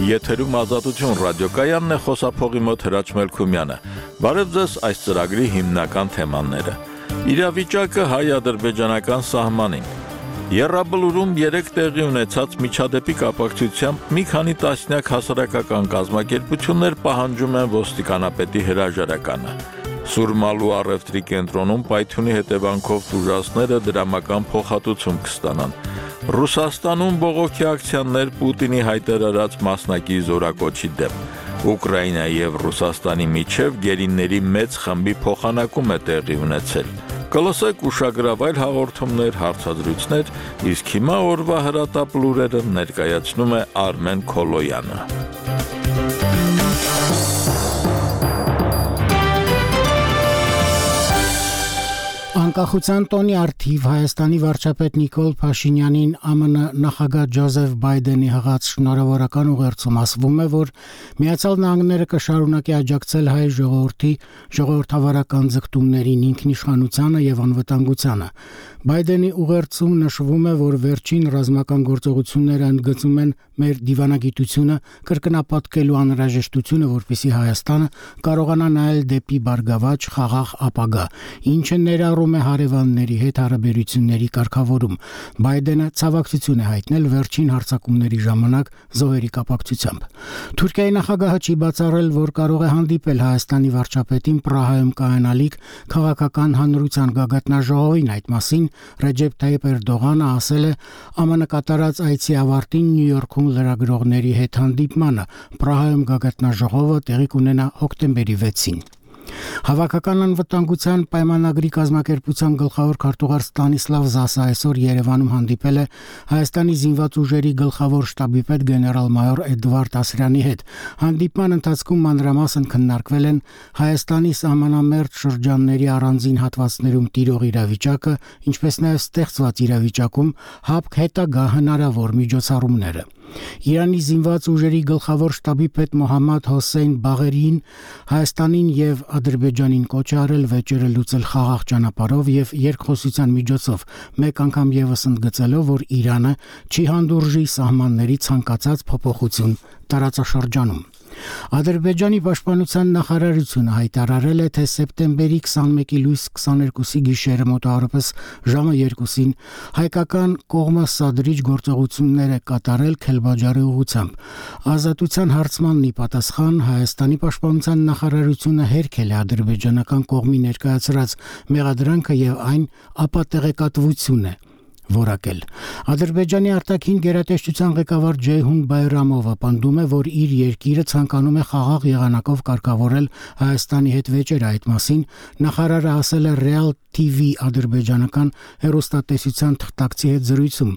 Եթերում Ազատություն ռադիոկայանն է, խոսափողի մոտ Հրաչ Մելքումյանը։ Բարև ձեզ այս ծրագրի հիմնական թեմաները։ Իրավիճակը հայ-ադրբեջանական սահմանին։ Եռաբլուրում 3 տեղի ունեցած միջադեպի կապակցությամբ մի քանի տասնյակ հասարակական կազմակերպություններ պահանջում են ոստիկանապետի հրաժարականը։ Սուրմալու առևտրի կենտրոնում պայթյունի հետևանքով տուժածները դրամական փոխհատուցում կստանան։ Ռուսաստանում բողոքի ակցիաներ Պուտինի հայտարարած մասնակի զորակոչի դեմ։ Ուկրաինայի եւ Ռուսաստանի միջև գերիների մեծ խմբի փոխանակում է տեղի ունեցել։ Կլսեք ուշագրավ այլ հաղորդումներ, հարցադրույցներ, իսկ հիմա օրվա հրատապ լուրերը ներկայացնում է Արմեն Քոլոյանը։ Անկախության տոնի առթիվ Հայաստանի վարչապետ Նիկոլ Փաշինյանին ԱՄՆ նախագահ Ջոզեֆ Բայդենի հղած շնորհավորական ուղերձում ասվում է, որ Միացյալ Նահանգները կշարունակի աջակցել հայ ժողովրդի ժողովրդավարական ձգտումներին, ինքնիշխանությանը եւ անվտանգությանը։ Բայդենի ուղերձում նշվում է, որ վերջին ռազմական գործողությունները ընդգծում են մեր դիվանագիտությունը, կրկնապատկելու անհրաժեշտությունը, որպեսզի Հայաստանը կարողանա նայել դեպի բարգավաճ խաղաղ ապագա, ինչը ներառում է հարևանների հետ հարաբերությունների կարգավորում։ Բայդենը ցավակցություն է հայտնել վերջին հարձակումների ժամանակ զոհերի կապակցությամբ։ Թուրքիայի նախագահը չի բացառել, որ կարող է հանդիպել Հայաստանի վարչապետին Պրահայում կայանալիք քաղաքական հանրության գագաթնաժողովին։ Այդ մասին Ռեջեփ Թայիփ Էրդողանը ասել է ԱՄՆ կատարած այցի ավարտին Նյու Յորքում լրագրողների հետ հանդիպմանը։ Պրահայում գագաթնաժողովը տեղի կունենա հոկտեմբերի 6-ին։ Հավաքական անվտանգության պայմանագրի կազմակերպության գլխավոր քարտուղար Ստանիսլավ Զասը այսօր Երևանում հանդիպել է Հայաստանի զինված ուժերի գլխավոր շտաբի պետ գեներալ-մայոր Էդվարդ Ասրյանի հետ։ Հանդիպման ընթացքում մանրամասն քննարկվել են Հայաստանի սահմանամերձ շրջանների առանձին հատվածներում տիրող իրավիճակը, ինչպես նաև ստեղծված իրավիճակում հապկ հետագա հնարավոր միջոցառումները։ Իրանի զինված ուժերի գլխավոր շտաբի պետ Մոհամմադ Հոսեյն Բաղերին Հայաստանին եւ Ադրբեջանին կոչ է արել վեճերը լուծել խաղաղ ճանապարհով եւ երկխոսության միջոցով, մեկ անգամ եւս ընդգծելով, որ Իրանը չի հանդուրժի սահմանների ցանկացած փոփոխություն տարածաշրջանում։ Ադրբեջանի պաշտպանության նախարարությունը հայտարարել է, թե սեպտեմբերի 21-ի լույս 22-ի գիշերը մոտավորապես ժամը 2-ին հայկական կողմը սադրիչ գործողություններ է կատարել Քելբաջարի ուղղությամբ։ Ազատության հարցմանն ի պատասխան Հայաստանի պաշտպանության նախարարությունը հերքել է ադրբեջանական կողմի ներկայացրած մեղադրանքը եւ այն ապատեղեկատվություն է որակել։ Ադրբեջանի արտաքին գերատեսչության ղեկավար Ջեյհուն Բայրամովը պնդում է, որ իր երկիրը ցանկանում է խաղաղ եղանակով կարգավորել Հայաստանի հետ վեճերը։ Այդ մասին նախարարը ասել է Real TV ադրբեջանական հեռուստատեսության թղթակցի հետ զրույցում։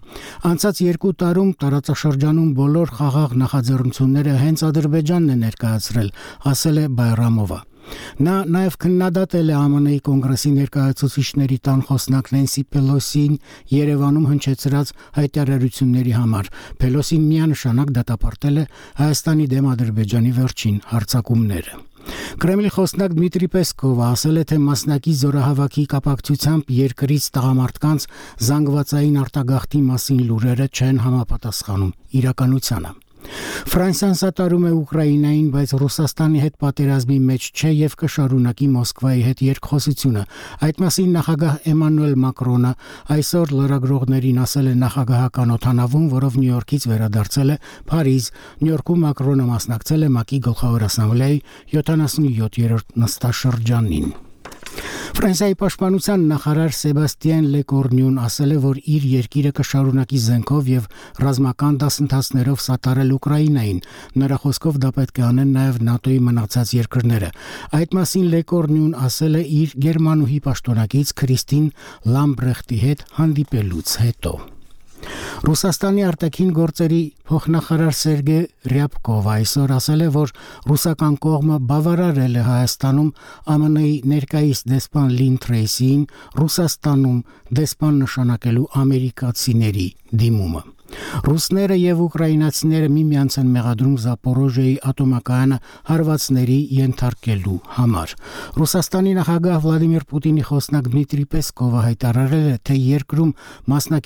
Անցած 2 տարում տարածաշրջանում բոլոր խաղաղ նախաձեռնությունները հենց Ադրբեջանն է ներկայացրել, ասել է Բայրամովը։ Նա նաև քննադատել է ԱՄՆ-ի կոնգրեսի ներկայացուցիչների տան խոսնակ Նենսի Պելոսին Երևանում հնչեցրած հայտարարությունների համար։ Պելոսին միանշանակ դատապարտել է Հայաստանի դեմ Ադրբեջանի վերջին հարձակումները։ Կրեմլի խոսնակ Դմիտրի Պեսկովը ասել է, թե մասնակի զորահավաքի կապակցությամբ երկրից տղամարդկանց զանգվածային արտագաղթի մասին լուրերը չեն համապատասխանում իրականությանը։ Ֆրանսիան սատարում է Ուկրաինային, բայց Ռուսաստանի հետ պատերազմի մեջ չէ եւ կշարունակի Մոսկվայի հետ երկխոսությունը։ Այդ մասին նախագահ Էմանուել Մակրոնը այսօր լրագրողներին ասել է նախագահական օդանավում, որով Նյու Յորքից վերադարձել է Փարիզ։ Նյու Յորքում Մակրոնը մասնակցել է ՄԱԿ-ի գլխավոր ասամբլեայի 77-րդ նստաշրջանին։ Ֆրանսիայի պաշտպանության նախարար Սեբաստիան Լեկորնյուն ասել է, որ իր երկիրը կշարունակի զենքով եւ ռազմական դասընթացներով սատարել Ուկրաինային։ Նրա խոսքով դա պետք է անեն նաեւ ՆԱՏՕ-ի մնացած երկրները։ Այդ մասին Լեկորնյուն ասել է իր գերմանուհի պաշտոնակից Քրիստին Լամբրեխտի հետ հանդիպելուց հետո։ Ռուսաստանի արտաքին գործերի փոխնախարար Սերգեյ Ռյաբկովը այսօր ասել է, որ ռուսական կողմը բավարարել է Հայաստանում ԱՄՆ-ի ներկայիս դեսպան Լին Թրեյսին Ռուսաստանում դեսպան նշանակելու ամերիկացիների դիմումը։ Ռուսները եւ ուկրաինացիները միմյանց են մեղադրում Զապորոժիայի ատոմակայանը հարվածների ենթարկելու համար։ Ռուսաստանի նախագահ Վլադիմիր Պուտինի խոսնակ Դմիտրի Պեսկովը հայտարարել է, թե երկրում մասնակի